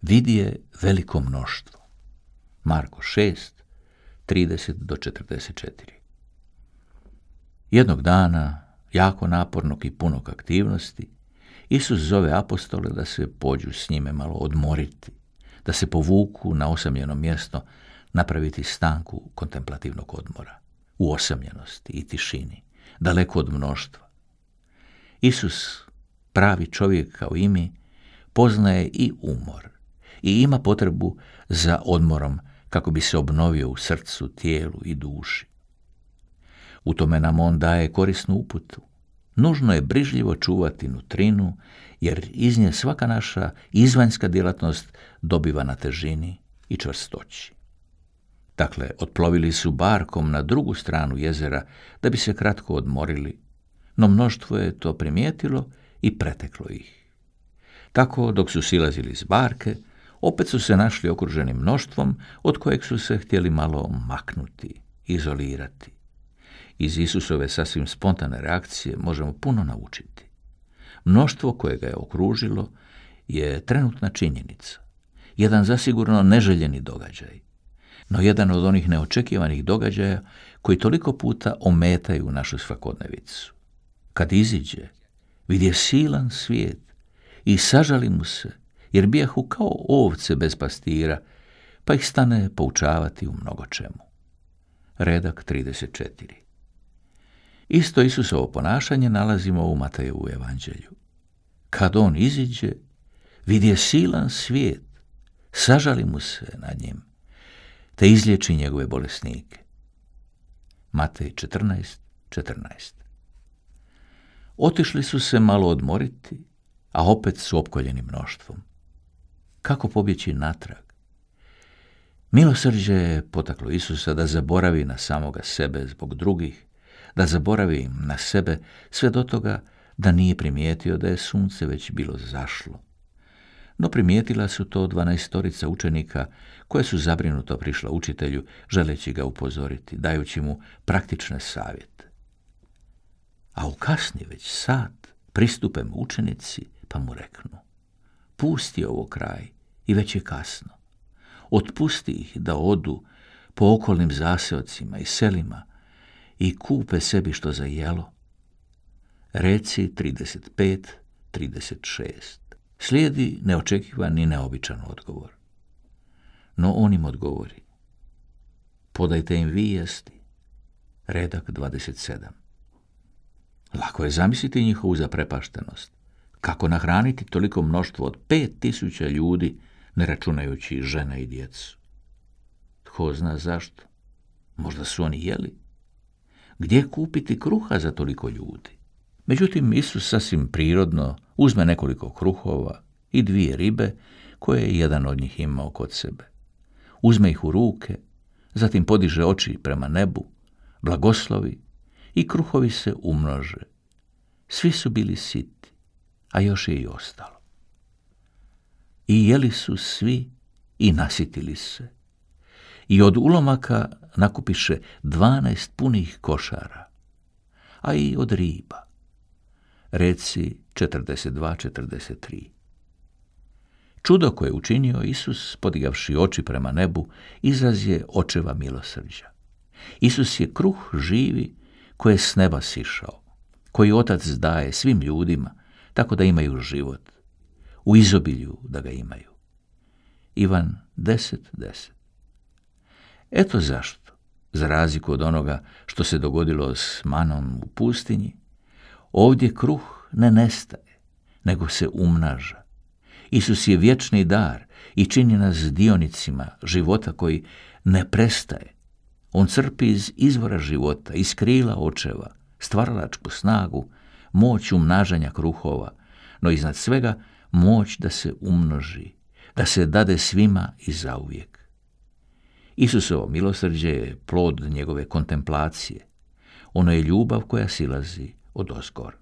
vidje veliko mnoštvo. Marko 6, 30-44. Jednog dana, jako napornog i punog aktivnosti, Isus zove apostole da se pođu s njime malo odmoriti, da se povuku na osamljeno mjesto, napraviti stanku kontemplativnog odmora, u osamljenosti i tišini, daleko od mnoštva. Isus, pravi čovjek kao i mi, poznaje i umor i ima potrebu za odmorom kako bi se obnovio u srcu, tijelu i duši. U tome nam on daje korisnu uputu. Nužno je brižljivo čuvati nutrinu, jer iz nje svaka naša izvanjska djelatnost dobiva na težini i čvrstoći. Dakle, otplovili su barkom na drugu stranu jezera da bi se kratko odmorili, no mnoštvo je to primijetilo i preteklo ih. Tako, dok su silazili iz barke, opet su se našli okruženi mnoštvom od kojeg su se htjeli malo maknuti, izolirati. Iz Isusove sasvim spontane reakcije možemo puno naučiti. Mnoštvo koje ga je okružilo je trenutna činjenica, jedan zasigurno neželjeni događaj, no jedan od onih neočekivanih događaja koji toliko puta ometaju našu svakodnevicu. Kad iziđe, vidje silan svijet i sažali mu se, jer bijahu kao ovce bez pastira, pa ih stane poučavati u mnogo čemu. Redak 34. Isto Isusovo ponašanje nalazimo u Matejevu evanđelju. Kad on iziđe, vidje silan svijet, sažali mu se nad njim, te izliječi njegove bolesnike. Matej 14:14. Otišli su se malo odmoriti, a opet su opkoljeni mnoštvom. Kako pobjeći natrag? Milosrđe je potaklo Isusa da zaboravi na samoga sebe zbog drugih, da zaboravi na sebe sve do toga da nije primijetio da je sunce već bilo zašlo. No primijetila su to 12 učenika koje su zabrinuto prišla učitelju, želeći ga upozoriti, dajući mu praktične savjete. A u kasni već sat pristupe mu učenici pa mu reknu: pusti ovo kraj i već je kasno. Otpusti ih da odu po okolnim zaseocima i selima i kupe sebi što za jelo. Reci 35:36. Slijedi neočekivan i neobičan odgovor. No on im odgovori: podajte im vi jesti. Redak 27. Lako je zamisliti njihovu zaprepaštenost. Kako nahraniti toliko mnoštvo od 5.000 ljudi, ne računajući žene i djecu? Tko zna zašto? Možda su oni jeli? Gdje kupiti kruha za toliko ljudi? Međutim, Isus sasvim prirodno uzme nekoliko kruhova i 2 ribe koje je jedan od njih imao kod sebe. Uzme ih u ruke, zatim podiže oči prema nebu, blagoslovi i kruhovi se umnože. Svi su bili siti, a još je i ostalo. I jeli su svi i nasitili se. I od ulomaka nakupiše 12 punih košara, a i od riba. Reci 42:43. Čudo koje je učinio Isus, podigavši oči prema nebu, izraz je očeva milosrđa. Isus je kruh živi koji je s neba sišao, koji Otac daje svim ljudima, tako da imaju život, u izobilju da ga imaju. Ivan 10:10. Eto zašto, za razliku od onoga što se dogodilo s manom u pustinji, ovdje kruh ne nestaje, nego se umnaža. Isus je vječni dar i čini nas dionicima života koji ne prestaje. On crpi iz izvora života, iz krila očeva, stvaralačku snagu, moć umnažanja kruhova, no iznad svega moć da se umnoži, da se dade svima i zauvijek. Isusovo milosrđe je plod njegove kontemplacije. Ono je ljubav koja silazi odozgor.